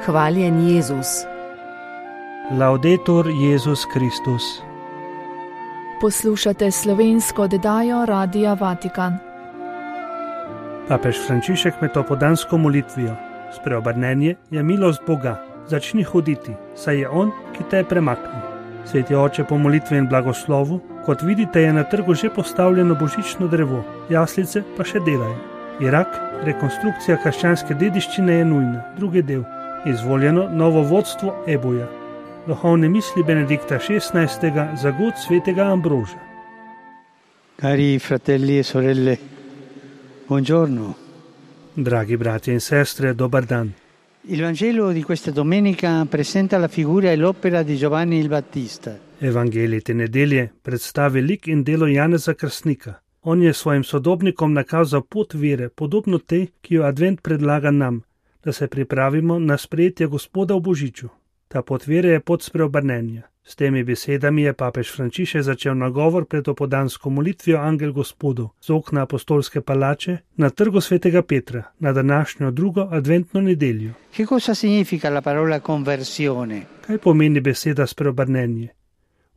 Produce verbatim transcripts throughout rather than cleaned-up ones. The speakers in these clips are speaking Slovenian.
Hvaljen Jezus. Laudetur Jezus Kristus. Poslušate slovensko oddajo Radia Vatikan. Papež Frančišek med opodansko molitvijo: Spreobrnenje je milost Boga, začni hoditi, saj je On, ki te je premaknil. Sveti oče, po molitvi in blagoslovu, kot vidite, je na trgu že postavljeno božično drevo, jaslice pa še delajo. Irak, rekonstrukcija krščanske dediščine je nujna. Drugi del. Izvoljeno novo vodstvo Eboja. Duhovne misli Benedikta šestnajstega za god svetega Ambroža. Cari fratelli e sorelle, buongiorno. Dragi bratje in sestre, dobar dan. Il Vangelo di questa domenica presenta la figura e l'opera di Giovanni il Battista. Evangelij te nedelje predstavi lik in delo Janeza Krstnika. On je svojim sodobnikom nakazal pot vere, podobno tej, ki jo Advent predlaga nam, da se pripravimo na sprejetje Gospoda v Božiču. Ta pot vere je pot spreobrnenja. S temi besedami je papež Frančišek začel nagovor pred opodansko molitvijo Angel Gospodov z okna apostolske palače na trgu svetega Petra na današnjo drugo adventno nedeljo. Che cosa significa la parola conversione? Kaj pomeni beseda spreobrnenje?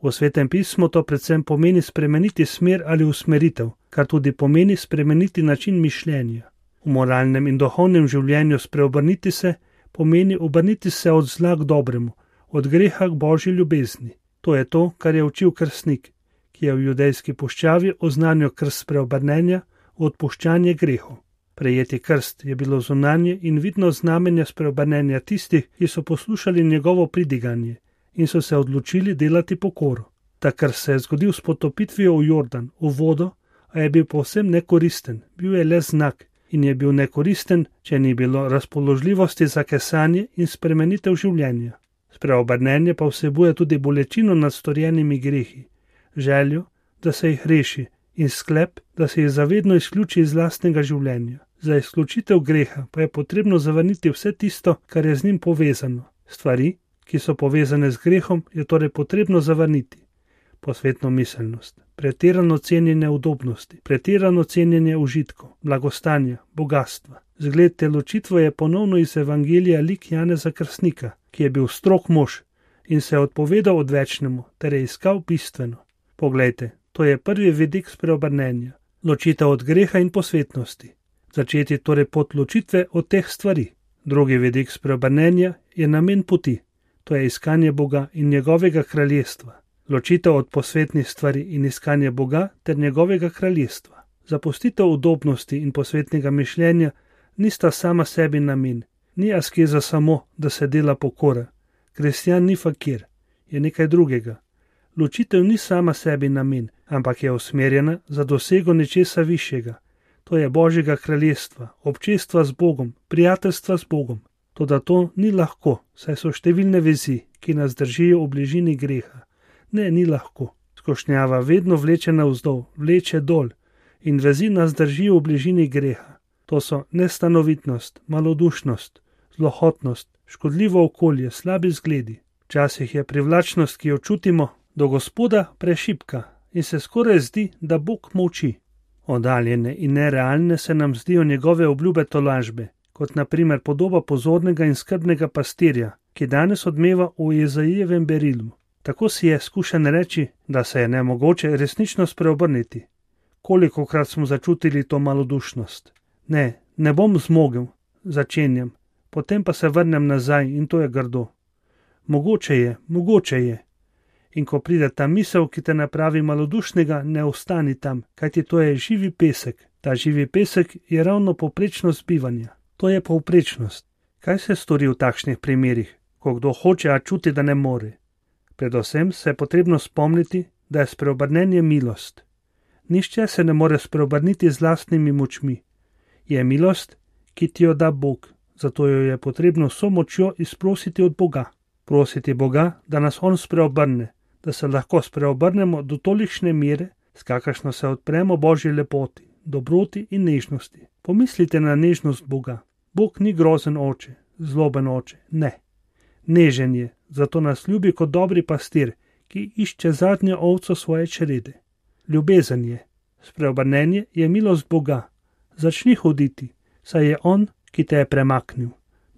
V Svetem pismu to predvsem pomeni spremeniti smer ali usmeritev, kar tudi pomeni spremeniti način mišljenja. V moralnem in duhovnem življenju spreobrniti se pomeni obrniti se od zla k dobremu, od greha k Božji ljubezni. To je to, kar je učil krstnik, ki je v judejski puščavi oznanil krst spreobrnenja, odpuščanje grehov. Prejeti krst je bilo zunanje in vidno znamenje spreobrnenja tistih, ki so poslušali njegovo pridiganje in so se odločili delati pokoro. Ta krst se je zgodil s potopitvijo v Jordan, v vodo, a je bil povsem nekoristen, bil je le znak in je bil nekoristen, če ni bilo razpoložljivosti za kesanje in spremenitev življenja. Spreobrnenje pa vsebuje tudi bolečino nad storjenimi grehi, željo, da se jih reši in sklep, da se jih zavedno izključi iz lastnega življenja. Za izključitev greha pa je potrebno zavrniti vse tisto, kar je z njim povezano. Stvari, ki so povezane z grehom, je torej potrebno zavrniti. Posvetno miselnost, pretirano cenjenje udobnosti, pretirano cenjenje užitkov, blagostanja, bogatstva. Zgled te ločitve je ponovno iz Evangelija lik Janeza Krstnika, ki je bil strog mož in se je odpovedal odvečnemu ter je iskal bistveno. Poglejte, to je prvi vidik spreobrnenja, ločitev od greha in posvetnosti. Začeti torej pot ločitve od teh stvari. Drugi vidik spreobrnenja je namen poti, to je iskanje Boga in njegovega kraljestva. Ločitev od posvetnih stvari in iskanje Boga ter njegovega kraljestva. Zapustitev udobnosti in posvetnega mišljenja nista sama sebi namen, ni askeza samo, da se dela pokora. Kristjan ni fakir, je nekaj drugega. Ločitev ni sama sebi namen, ampak je usmerjena za dosego nečesa višjega. To je Božjega kraljestva, občestva z Bogom, prijateljstva z Bogom. Toda to ni lahko, saj so številne vezi, ki nas držijo v bližini greha. Ne, ni lahko. Skošnjava vedno vleče navzdol, vleče dol in vezi nas držijo v bližini greha. To so nestanovitnost, malodušnost, zlohotnost, škodljivo okolje, slabi zgledi. Včasih je privlačnost, ki jo čutimo, do Gospoda prešibka in se skoraj zdi, da Bog molči. Oddaljene in nerealne se nam zdijo njegove obljube tolažbe, kot na primer podoba pozornega in skrbnega pastirja, ki danes odmeva v Jezajevem berilu. Tako si je skušen reči, da se je nemogoče resnično spreobrniti. Kolikokrat smo začutili to malodušnost? Ne, ne bom zmogel, začenjam, potem pa se vrnem nazaj in to je grdo. Mogoče je, mogoče je. In ko pride ta misel, ki te napravi malodušnega, ne ostani tam, kajti to je živi pesek. Ta živi pesek je ravno povprečnost bivanja. To je povprečnost. Kaj se stori v takšnih primerih, ko kdo hoče, a čuti, da ne more? Predvsem se je potrebno spomniti, da je spreobrnenje milost. Nihče se ne more spreobrniti z lastnimi močmi. Je milost, ki ti jo da Bog, zato jo je potrebno vso močjo izprositi od Boga. Prositi Boga, da nas On spreobrne, da se lahko spreobrnemo do tolikšne mere, s kakršno se odpremo Božji lepoti, dobroti in nežnosti. Pomislite na nežnost Boga. Bog ni grozen oče, zloben oče, ne. Nežen je, zato nas ljubi kot dobri pastir, ki išče zadnjo ovco svoje črede. Ljubezen je. Spreobrnenje je milost Boga. Začni hoditi, saj je On, ki te je premaknil.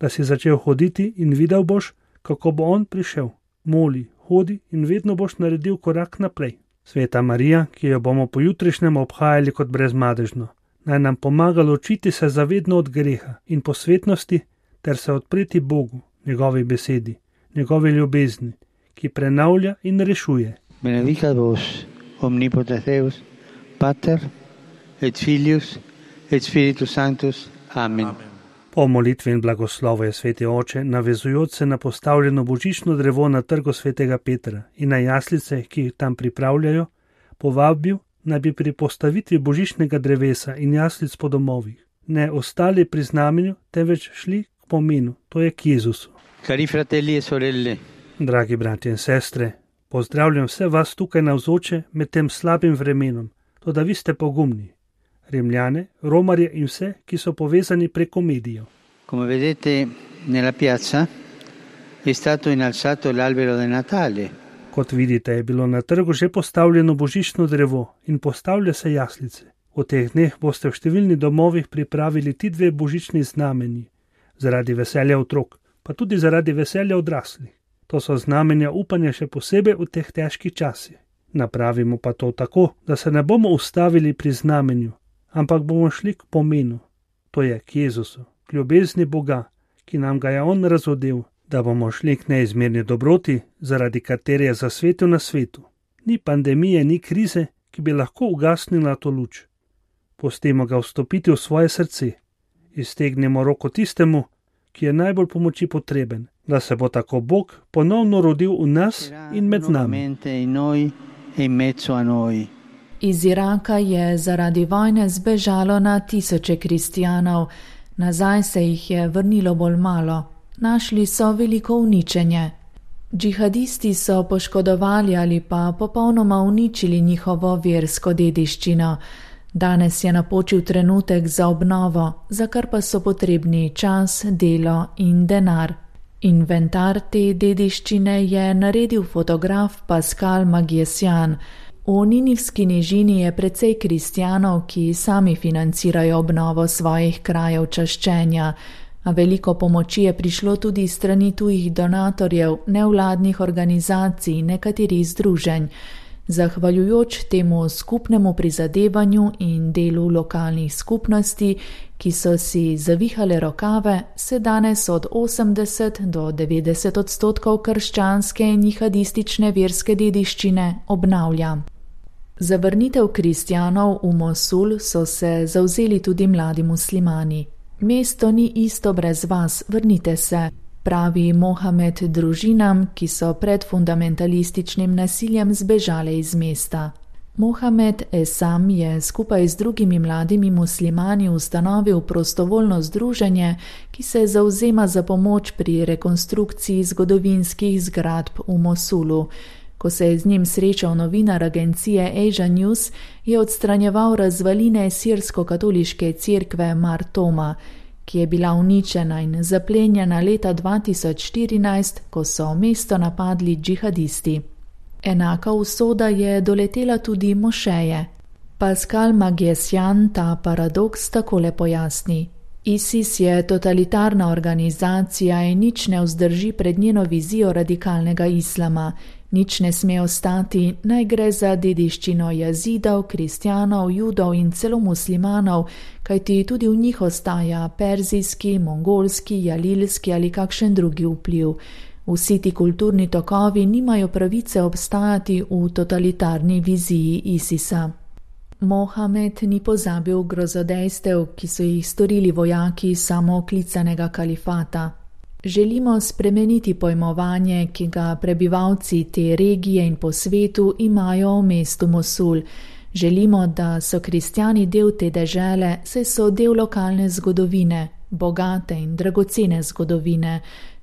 da si začel hoditi in videl boš, kako bo on prišel. Moli, hodi in vedno boš naredil korak naprej. Sveta Marija, ki jo bomo pojutrišnjem obhajali kot brezmadežno, naj nam pomaga ločiti se zavedno od greha in posvetnosti ter se odpreti Bogu, njegovi besedi, njegovi ljubezni, ki prenavlja in rešuje. Benedicat vos, omnipotens Deus, Pater, et Filius, et Spiritus Sanctus. Amen. Amen. Po molitvi in blagoslovu je sveti oče, navezujoč se na postavljeno božično drevo na trgu svetega Petra in na jaslice, ki jih tam pripravljajo, povabil, naj bi pri postavitvi božičnega drevesa in jaslic po domovih ne ostali pri znamenju, temveč šli k pomenu, to je k Jezusu. Cari fratelli e sorelle. Dragi bratje in sestre, pozdravljam vse vas tukaj navzoče med tem slabim vremenom, to da vi ste pogumni. Rimljane, romarje in vse, ki so povezani preko medijev. Come vedete nella piazza è stato innalzato l'albero di Natale. Kot vidite, je bilo na trgu že postavljeno božično drevo in postavlja se jaslice. V teh dneh boste v številnih domovih pripravili ti dve božični znamenji, zaradi veselja otrok, pa tudi zaradi veselja odraslih. To so znamenja upanja še posebej v teh težkih časih. Napravimo pa to tako, da se ne bomo ustavili pri znamenju, ampak bomo šli k pomenu, to je k Jezusu, k ljubezni Boga, ki nam ga je On razodel, da bomo šli k neizmerni dobroti, zaradi katere je zasvetil na svetu. Ni pandemije, ni krize, ki bi lahko ugasnila to luč. Pustimo ga vstopiti v svoje srce. Iztegnemo roko tistemu, ki je najbolj pomoči potreben, da se bo tako Bog ponovno rodil v nas in med nami. Iz Iraka je zaradi vojne zbežalo na tisoče kristijanov, nazaj se jih je vrnilo bolj malo. Našli so veliko uničenje. Džihadisti so poškodovali ali pa popolnoma uničili njihovo versko dediščino. Danes je napočil trenutek za obnovo, za kar pa so potrebni čas, delo in denar. Inventar te dediščine je naredil fotograf Pascal Magiesian. V Ninivski nižini je precej kristijanov, ki sami financirajo obnovo svojih krajev čaščenja, a veliko pomoči je prišlo tudi strani tujih donatorjev, nevladnih organizacij, nekaterih združenj. Zahvaljujoč temu skupnemu prizadevanju in delu lokalnih skupnosti, ki so si zavihale rokave, se danes od osemdeset do devetdeset odstotkov krščanske in jihadistične verske dediščine obnavlja. Za vrnitev kristijanov v Mosul so se zavzeli tudi mladi muslimani. Mesto ni isto brez vas, vrnite se, pravi Mohamed družinam, ki so pred fundamentalističnim nasiljem zbežale iz mesta. Mohamed Esam je skupaj z drugimi mladimi muslimani ustanovil prostovoljno združenje, ki se zavzema za pomoč pri rekonstrukciji zgodovinskih zgradb v Mosulu. Ko se je z njim srečal novinar agencije Asia News, je odstranjeval razvaline sirsko-katoliške cerkve Mar Thoma, ki je bila uničena in zaplenjena leta dva tisoč štirinajst, ko so mesto napadli džihadisti. Enaka usoda je doletela tudi mošeje. Pascal Magiesian ta paradoks takole pojasni. ISIS je totalitarna organizacija in nič ne vzdrži pred njeno vizijo radikalnega islama. Nič ne sme ostati, naj gre za dediščino jazidov, kristjanov, judov in celo muslimanov, kajti tudi v njih ostaja perzijski, mongolski, jalilski ali kakšen drugi vpliv. Vsi ti kulturni tokovi nimajo pravice obstajati v totalitarni viziji ISIS-a. Mohamed ni pozabil grozodejstev, ki so jih storili vojaki samooklicanega kalifata. Želimo spremeniti pojmovanje, ki ga prebivalci te regije in po svetu imajo o mestu Mosul. Želimo, da so kristjani del te dežele, saj so del lokalne zgodovine, bogate in dragocene zgodovine,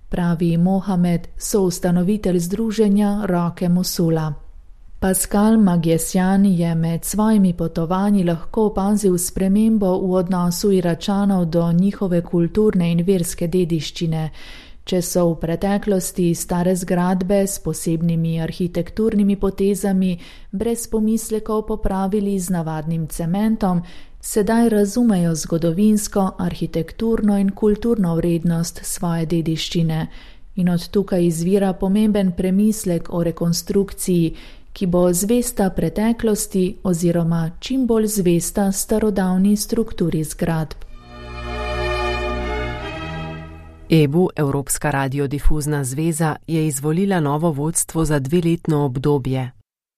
pravi Mohamed, soustanovitelj združenja Roke Mosula. Pascal Magiesian je med svojimi potovanji lahko opazil spremembo v odnosu Iračanov do njihove kulturne in verske dediščine. Če so v preteklosti stare zgradbe s posebnimi arhitekturnimi potezami brez pomislekov popravili z navadnim cementom, sedaj razumejo zgodovinsko, arhitekturno in kulturno vrednost svoje dediščine in od tukaj izvira pomemben premislek o rekonstrukciji, ki bo zvesta preteklosti oziroma čim bolj zvesta starodavni strukturi zgradb. E B U, Evropska radiodifuzna zveza, je izvolila novo vodstvo za dveletno obdobje.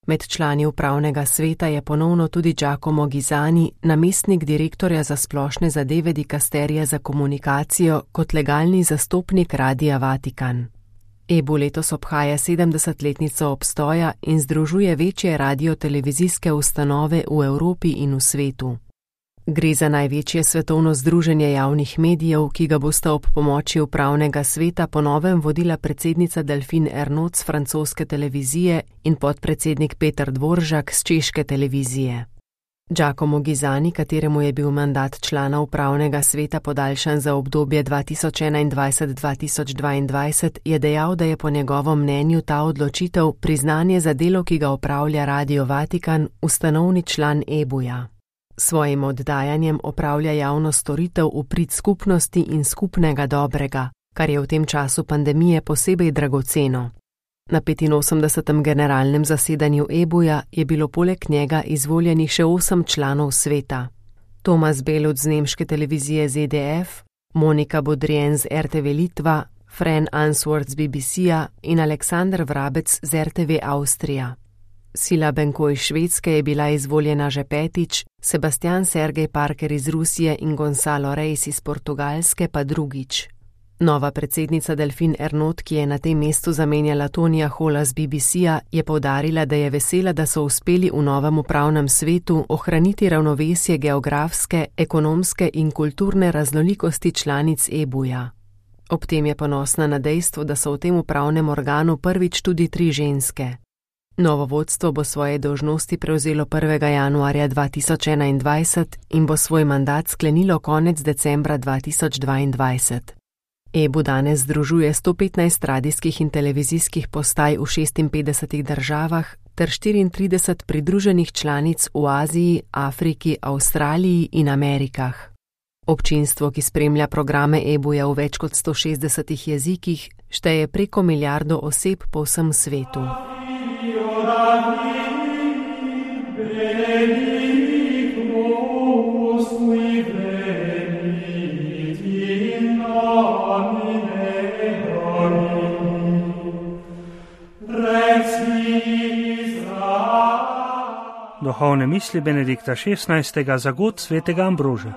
Med člani upravnega sveta je ponovno tudi Giacomo Ghisani, namestnik direktorja za splošne zadeve dikasterija za komunikacijo kot legalni zastopnik Radia Vatikan. E B U letos obhaja sedemdesetletnico obstoja in združuje večje radiotelevizijske ustanove v Evropi in v svetu. Gre za največje svetovno združenje javnih medijev, ki ga bosta ob pomoči upravnega sveta po novem vodila predsednica Delphine Ernotte z francoske televizije in podpredsednik Peter Dvoržak z češke televizije. Giacomo Ghisani, kateremu je bil mandat člana upravnega sveta podaljšan za obdobje dva tisoč enaindvajset do dva tisoč dvaindvajset, je dejal, da je po njegovem mnenju ta odločitev priznanje za delo, ki ga opravlja Radio Vatikan, ustanovni član E B U-ja. Svojim oddajanjem opravlja javno storitev v prid skupnosti in skupnega dobrega, kar je v tem času pandemije posebej dragoceno. Na petinosemdesetem generalnem zasedanju E B U-ja je bilo poleg njega izvoljenih še osem članov sveta. Tomas Belut z nemške televizije Z D F, Monika Bodrien z R T V Litva, Fran Answorth z B B C-ja in Aleksander Vrabec z R T V Avstrija. Sila Benko iz Švedske je bila izvoljena že petič, Sebastian Sergej Parker iz Rusije in Gonzalo Reis iz Portugalske pa drugič. Nova predsednica Delphine Ernotte, ki je na tem mestu zamenjala Tonija Hola z B B C-ja, je poudarila, da je vesela, da so uspeli v novem upravnem svetu ohraniti ravnovesje geografske, ekonomske in kulturne raznolikosti članic E B U-ja. Ob tem je ponosna na dejstvo, da so v tem upravnem organu prvič tudi tri ženske. Novo vodstvo bo svoje dolžnosti prevzelo prvega januarja dva tisoč enaindvajset in bo svoj mandat sklenilo konec decembra dva tisoč dvaindvajset. E B U danes združuje sto petnajst radijskih in televizijskih postaj v šestinpetdesetih državah ter štiriintrideset pridruženih članic v Aziji, Afriki, Avstraliji in Amerikah. Občinstvo, ki spremlja programe E B U-ja v več kot sto šestdesetih jezikih, šteje preko milijardo oseb po vsem svetu. Duhovne misli Benedikta šestnajstega za god svetega Ambroža.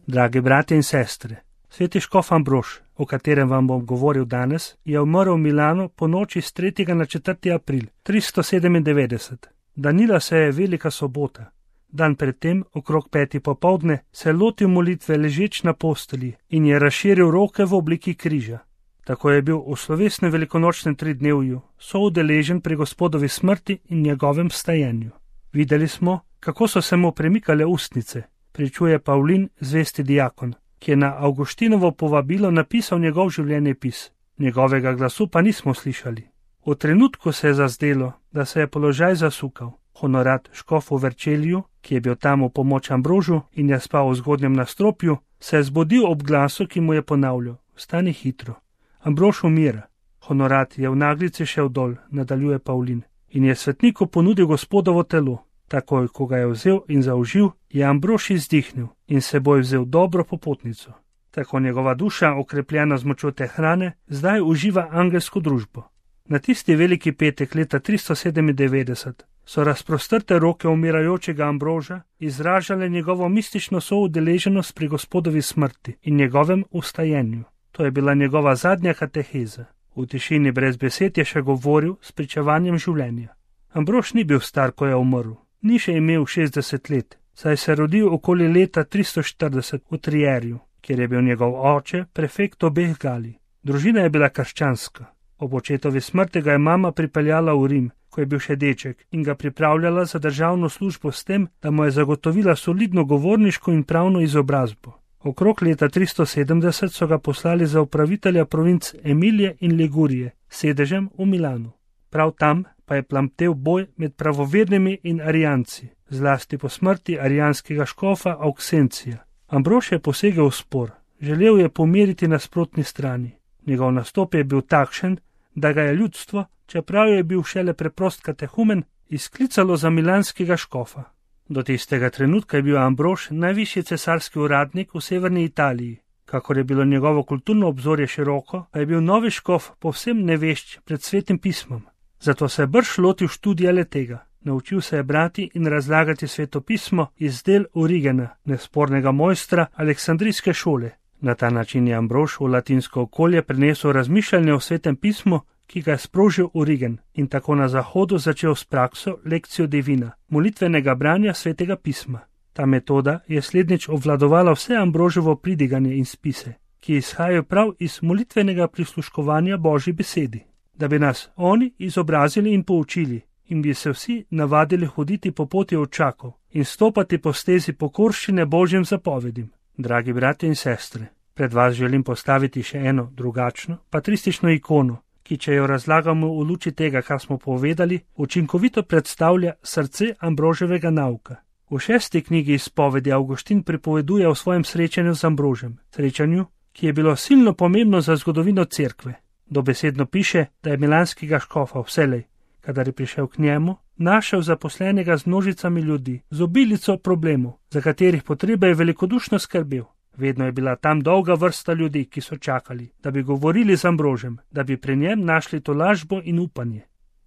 Dragi bratje in sestre, sveti škof Ambrož, o katerem vam bom govoril danes, je umrl v Milanu po noči s tretjega na četrti april tristo sedemindevetdeset. Danila se je velika sobota. Dan predtem, okrog peti popoldne, se je lotil molitve ležeč na postelji in je razširil roke v obliki križa. Tako je bil v slovesnem velikonočnem tridnevju soudeležen pri Gospodovi smrti in njegovem vstajenju. Videli smo, kako so se mu premikale ustnice, pričuje Pavlin, zvesti diakon, ki je na Avguštinovo povabilo napisal njegov življenjepis. Njegovega glasu pa nismo slišali. V trenutku se je zazdelo, da se je položaj zasukal. Honorat škof v Verčelju, ki je bil tam v pomoč Ambrožu in je spal v zgodnjem nastropju, se je zbudil ob glasu, ki mu je ponavljal: "Vstani hitro." Ambrož umira. Honorat je v naglici šel dol, nadaljuje Pavlin, in je svetniku ponudil Gospodovo telo. Takoj, ko ga je vzel in zaužil, je Ambrož izdihnil in seboj vzel dobro popotnico. Tako njegova duša, okrepljena z močjo te hrane, zdaj uživa angelsko družbo. Na tisti veliki petek leta tristo sedemindevetdeset so razprostrte roke umirajočega Ambroža izražale njegovo mistično soudeleženost pri Gospodovi smrti in njegovem vstajenju. To je bila njegova zadnja kateheza. V tišini brez besed je še govoril s pričevanjem življenja. Ambrož ni bil star, ko je umrl. Ni še imel šestdeset let, saj se je rodil okoli leta tristo štirideset v Trierju, kjer je bil njegov oče prefekt obeh Galij. Družina je bila krščanska. Ob očetovi smrti ga je mama pripeljala v Rim, ko je bil še deček, in ga pripravljala za državno službo s tem, da mu je zagotovila solidno govorniško in pravno izobrazbo. Okrog leta tristo sedemdeset so ga poslali za upravitelja provinc Emilije in Ligurije, sedežem v Milanu. Prav tam pa je plamtev boj med pravovernimi in arijanci, zlasti po smrti arijanskega škofa Auksencija. Ambrož je posegel v spor, želel je pomiriti nasprotni strani. Njegov nastop je bil takšen, da ga je ljudstvo, čeprav je bil šele preprost katehumen, izklicalo za milanskega škofa. Do tistega trenutka je bil Ambrož najvišji cesarski uradnik v severni Italiji. Kakor je bilo njegovo kulturno obzorje široko, pa je bil novi škof povsem nevešč pred svetim pismom. Zato se je brž lotil študija le tega. Naučil se je brati in razlagati svetopismo iz del Origena, nespornega mojstra Aleksandrijske šole. Na ta način je Ambrož v latinsko okolje prenesel razmišljanje o svetem pismu, ki ga je sprožil Origen, in tako na zahodu začel s prakso lekcijo divina, molitvenega branja svetega pisma. Ta metoda je slednjič obvladovala vse Ambroževo pridiganje in spise, ki izhajajo prav iz molitvenega prisluškovanja Božji besedi, da bi nas oni izobrazili in poučili, in bi se vsi navadili hoditi po poti očakov in stopati po stezi pokorščine Božjim zapovedim. Dragi bratje in sestre, pred vas želim postaviti še eno drugačno, patristično ikono, ki, če jo razlagamo v luči tega, kar smo povedali, učinkovito predstavlja srce Ambroževega nauka. V šesti knjigi izpovedi Avguštin pripoveduje o svojem srečanju z Ambrožem, srečanju, ki je bilo silno pomembno za zgodovino cerkve. Dobesedno piše, da je milanskega škofa vselej, kadar je prišel k njemu, našel zaposlenega z množicami ljudi, z obilico problemov, za katerih potrebe je velikodušno skrbel. Vedno je bila tam dolga vrsta ljudi, ki so čakali, da bi govorili z Ambrožem, da bi pri njem našli tolažbo in upanje.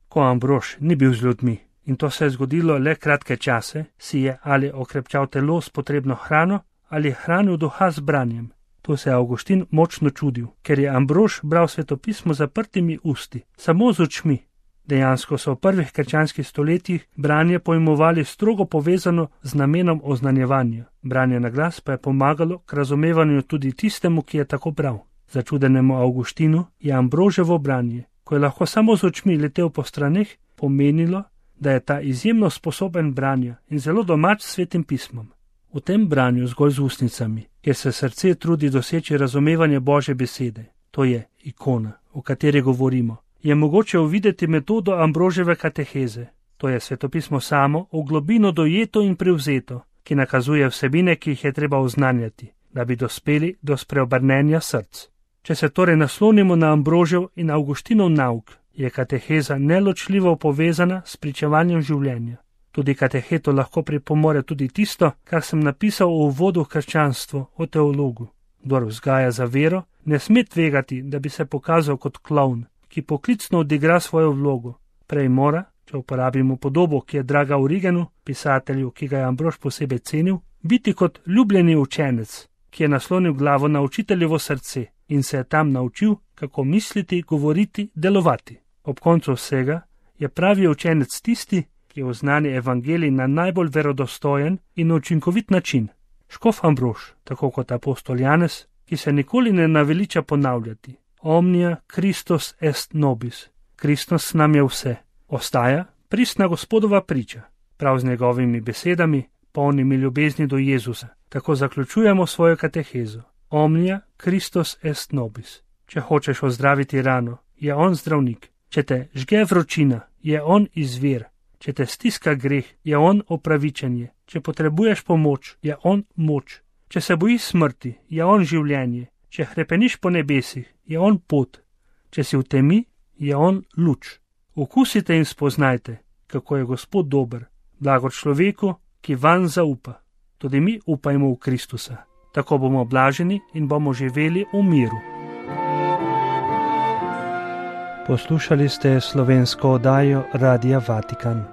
Ko Ambrož ni bil z ljudmi, in to se je zgodilo le kratke čase, si je ali okrepčal telo s potrebno hrano, ali hranil duha z branjem. To se je Avguštin močno čudil, ker je Ambrož bral svetopismo zaprtimi usti, samo z očmi. Dejansko so v prvih krščanskih stoletjih branje pojmovali strogo povezano z namenom oznanjevanja. Branje na glas pa je pomagalo k razumevanju tudi tistemu, ki je tako bral. Začudenemu Avguštinu je Ambroževo branje, ko je lahko samo z očmi letel po straneh, pomenilo, da je ta izjemno sposoben branja in zelo domač s svetim pismom. V tem branju zgolj z ustnicami, kjer se srce trudi doseči razumevanje Božje besede, to je ikona, o kateri govorimo, je mogoče uvideti metodo Ambroževe kateheze, to je svetopismo samo v globino dojeto in prevzeto, ki nakazuje vsebine, ki jih je treba oznanjati, da bi dospeli do spreobrnenja src. Če se torej naslonimo na Ambrožev in Avguštinov nauk, je kateheza neločljivo povezana s pričevanjem življenja. Tudi kateheto lahko pripomore tudi tisto, kar sem napisal v uvodu v krščanstvo o teologu. Kdor vzgaja za vero, ne sme tvegati, da bi se pokazal kot klovn, ki poklicno odigra svojo vlogo. Prej mora, če uporabimo podobo, ki je draga Origenu, pisatelju, ki ga je Ambrož posebej cenil, biti kot ljubljeni učenec, ki je naslonil glavo na učiteljevo srce in se je tam naučil, kako misliti, govoriti, delovati. Ob koncu vsega je pravi učenec tisti, ki je oznani evangelij na najbolj verodostojen in učinkovit način. Škof Ambrož, tako kot apostol Janez, ki se nikoli ne naveliča ponavljati. Omnia Christus est nobis. Kristus nam je vse. Ostaja pristna Gospodova priča. Prav z njegovimi besedami, polnimi ljubezni do Jezusa. Tako zaključujemo svojo katehezo. Omnia Christus est nobis. Če hočeš ozdraviti rano, je on zdravnik. Če te žge vročina, je on izvir. Če te stiska greh, je on opravičenje. Če potrebuješ pomoč, je on moč. Če se bojiš smrti, je on življenje. Če hrepeniš po nebesih, je on pot. Če si v temi, je on luč. Okusite in spoznajte, kako je Gospod dober, blago človeku, ki vanj zaupa. Tudi mi upajmo v Kristusa. Tako bomo blaženi in bomo živeli v miru. Poslušali ste slovensko oddajo Radia Vatikan.